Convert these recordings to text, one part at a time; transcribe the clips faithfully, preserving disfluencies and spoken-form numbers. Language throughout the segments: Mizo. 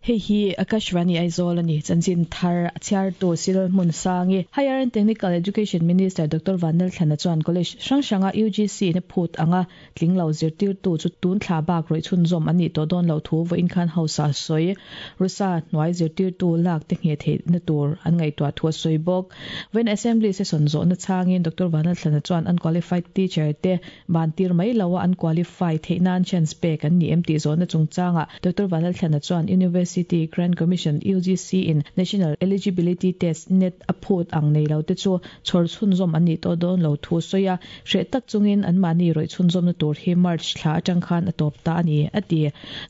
Hei hi Akashvani Aizawl ani chanchin thar chhiar tu sil hmun sangi Higher and Technical Education Minister Doctor Vanlal Thlana chuan college hrang hranga U G C na phut anga tlinglo zirtir tu chu tun thla bak roi chhun zawm ani to dawn lo thu vo inkhan hausa soi rusa hnuai zirtir tu lak te nge the na tur an ngai tua thu soi bawk when assembly session zo na changin Doctor Vanlal Thlana chuan unqualified teacher te ban tir mai lawa unqualified theinan chance pe kan ni M T zo na chungchanga Doctor Vanlal Thlana chuan University City Grant Commission U G C in National Eligibility Test net aphut ang nei lo te chu chhor chhun zom ani to don lo thu soya hre tak chungin an mani roi chhun zom na tur hi March thla atang khan atop ta ani ati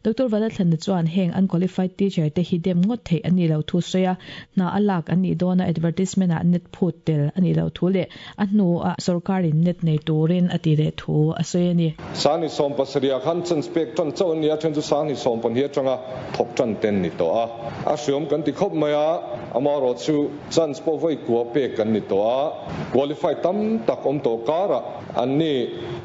Doctor Vanlal Thlana chuan heng unqualified teacher te hi dem ngot thei ani lo thu soya na alak ani dona advertisement a net phut tel ani lo thu le a hnu a sarkarin net nei turin ati le thu a soya ni sani som pasaria khan chan spek tan chaw nia then chu sani som pon hi atanga thok tan ten ni to a a hriam kan ti khop mai a amaro chu chance po voi kwa pe kan ni to a qualify tam tak om to kara an ni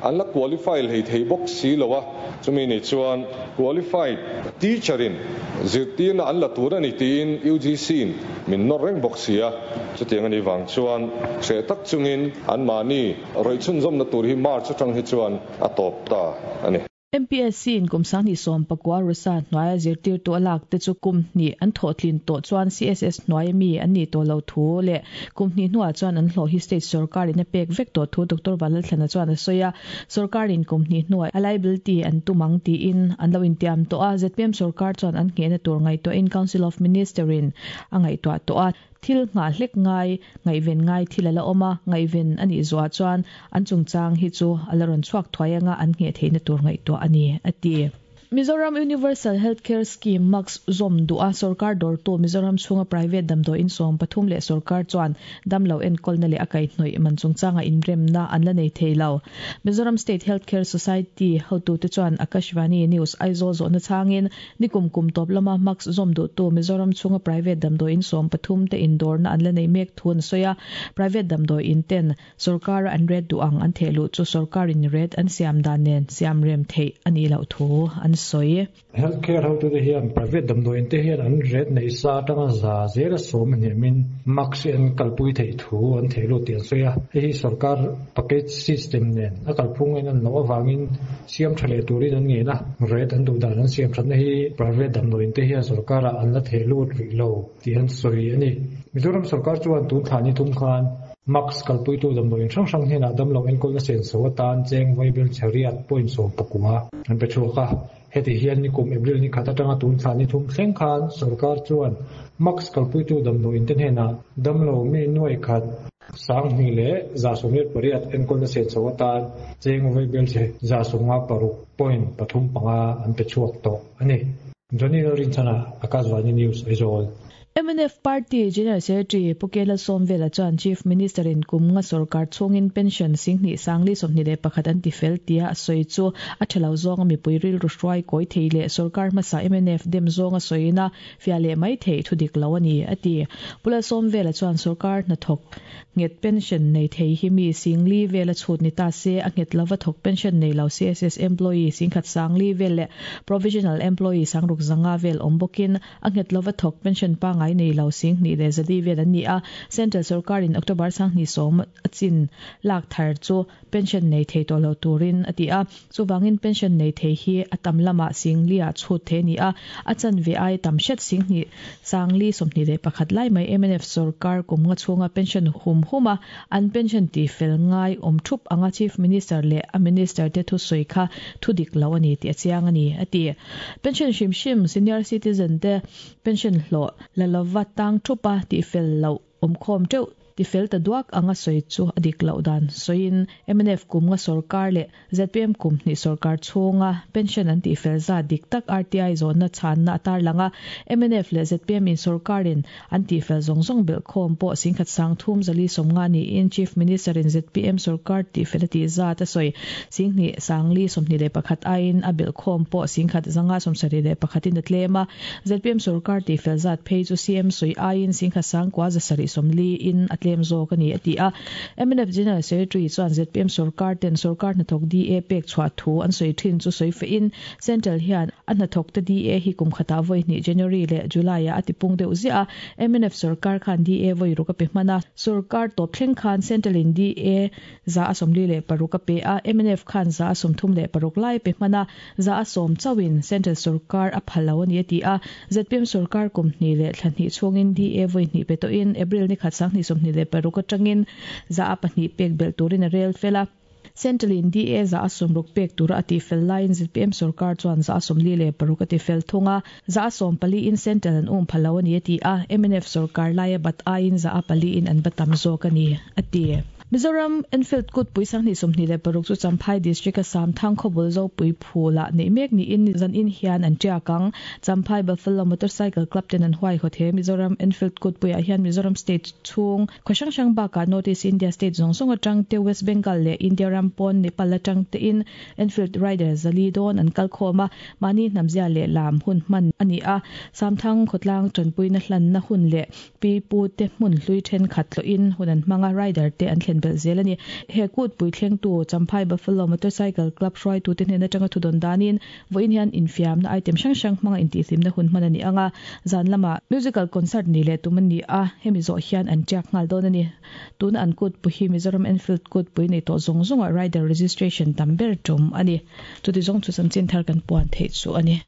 an la qualify hei thei bok si lowa chumi ni chuan qualified teacher in zirtir na an la tur ani tin U G C in min nor reng bok sia chutiang ani wang chuan hre tak chungin an mani roi chun zom na tur hi March atang hi chuan a top ta ani M P S C in kumsang ni som pakwa rusa hnuaia zirtir tu alak te chu kum ni an thawtlin to chuan C S S hnuaia mi an ni to lo thu le kum ni hnuah chuan an hlawh hi state sarkar in a pek vek to thu Doctor Vanlal Thlana chuan a sawi a sarkar in kum ni hnuai a liability an tumang tiin an lo intiam to a Z P M sarkar chuan an nge na tur ngai to in Council of Minister in a ngai to to a thil nga hlek ngai ngai ven ngai thil ala oma ngai ven ani zuwa chuan an chungchang hi chu alaron chuak thuai anga an nge theina tur ngai to ani ati Mizoram Universal Healthcare Scheme Max Zom Dua Sarkar dor to Mizoram chunga private damdo in som pathum le sarkar chuan damlo en kolna le akai hnoi man chungchanga inrem na an la nei theilo Mizoram State Healthcare Society hotu te chuan Akashvani News Aizawl zo na changin nikum kum top lama Max Zom du to Mizoram chunga private damdo in som pathum te indor na an la nei mek thun soya private damdo in ten sarkar an red duang an thelu chu sarkar in red an siam dan nen siam rem thei ani lo thu an soi healthcare how to the hian private dam do in te hian an red nei sa tanga za zera som ni min max en kalpui thei thu an thelo tian soya hei sarkar package system nen a kalphung en an lo awangin siam thale turin an nge na red an du dan an siam than hi private dam do in te hian sarkar an la thelo ri lo tian soi ani Mizoram sarkar chuan tun thani thum khan Max kalpui tu dam do in sang sang hian adam lo en kol na sen so tan cheng vaibel chariat point so pakua an pe thuka heti hian ni kum April ni khata tanga tun thani thum thleng khan sarkar chuan max kalpui tu dam do in ten hena dam lo mi noi khat sang ni le za somir pariat en kol na sen so tan cheng vaibel che za songa paruk point pathum panga an pe chuak to ani Johnny Lorin chana Akashvani News Aizawl M N F Party General Secretary Pukela Somvela chuan Chief Minister in kumnga sarkar chungin pension singni sangli somni le pakhat an tifel tia soi chu a thalo zawng mi puiril ru hruai koi theile sarkar masa M N F dem zawnga soina fiale mai thei thudik lo ani ati Pula Somvela chuan sarkar na thok nget pension nei thei hi mi singli vela chhut ni ta se a nget lova thok pension nei lo C S S employee singkhat sangli vel le provisional employee sangruk zanga vel ombokin a nget lova thok pension pa ngai nei lo sing ni le zali vel an ni a central sarkar in October sang ni som achin lak thar chu pension nei thei to lo turin ati a chuwangin pension nei thei hi atam lama singli a chhut the ni a achan ve ai tam shet sing ni sangli somni le pakhat lai mai M N F sarkar kumnga chunga pension hum huma an pension ti fel ngai om thup anga chief minister le a minister te thu soi kha thu dik lo ani ti chiang ani ati pension shim shim senior citizen te pension hlo la lova tang thupa ti fel lo om khom teu ti fel ta duak anga soi chu adik lo dan soin M N F kumnga sarkar le Z P M kum ni sarkar chunga pension an ti fel za dik tak R T I zone na chan na atar langa M N F le Z P M in sarkarin an ti fel zong zong bel khom po singkhat sang thum zali somnga ni in chief minister in Z P M sarkar ti fel ti za ta soi singni sangli somni le pakhat ain a bel khom po singkhat zanga somsari le pakhatin atlema Z P M sarkar ti fel zat phei chu C M soi ain singkhat sang kwa za sari somli in atle tlem zawk ani a ti a. M N F General Secretary chuan Z P M sarkar ten sarkar hnathawk D A pek chhuah thu an sawi thin chu sawi fe in Central hian a hnathawk te D A hi kum khata voi ni January le July a atipung deuh zia a. M N F sarkar khan D A voi ruka pe hmana sarkar top thleng khan Central in D A za asomli le paruka pe a. M N F khan za asomthum le paruk lai pe hmana za asom chawin Central sarkar a phalo ani ti a. Z P M sarkar company le thlanhi chungin D A voi ni pe to in April ni khat sang ni somni le paruka tangin za apahni pek bel turin a rel fela. Central in D A za asom ruk pek tura ati fel line Z P M sarkar chuan za asom li le paruk ati fel thunga za asom pali in Central an um phalo ani ti a. M N F sarkar laia bat a in za apali in an batam zawk ani ati. Mizoram Enfield kut puisang ni somni le paruk chu Champhai district a Samthang khobul zo pui phula nei mek ni in zan in hian an chiakang Champhai Buffalo Motorcycle Club ten an huai khothe Mizoram Enfield kut puia hian Mizoram state chung khoshang shang ba ka North India state zong song atang te West Bengal le India ram pon Nepal atang te in Enfield rider zali don an kal khoma mani namzia le lam hun man ani a. Samthang khotlang chanpui na hlan na hun le pi pu te hmun hlui then khat lo in hunan manga rider te an thlen bel zel ani. He kut pui thleng tu Champhai Buffalo Motorcycle Club hroi tu te hnen atanga thudon danin voin hian infiam na item hrang hrang hmanga inti hlim na hun hman ani anga zan lama musical concert ni le tuman ni a hemi zo hian an chak ngal don ani. Tuna an kut pu hi Mizoram Enfield kut pui nei to zong zonga rider registration tamber tum ani. Chuti zong chu chanchin thar kan puan thei chu ani.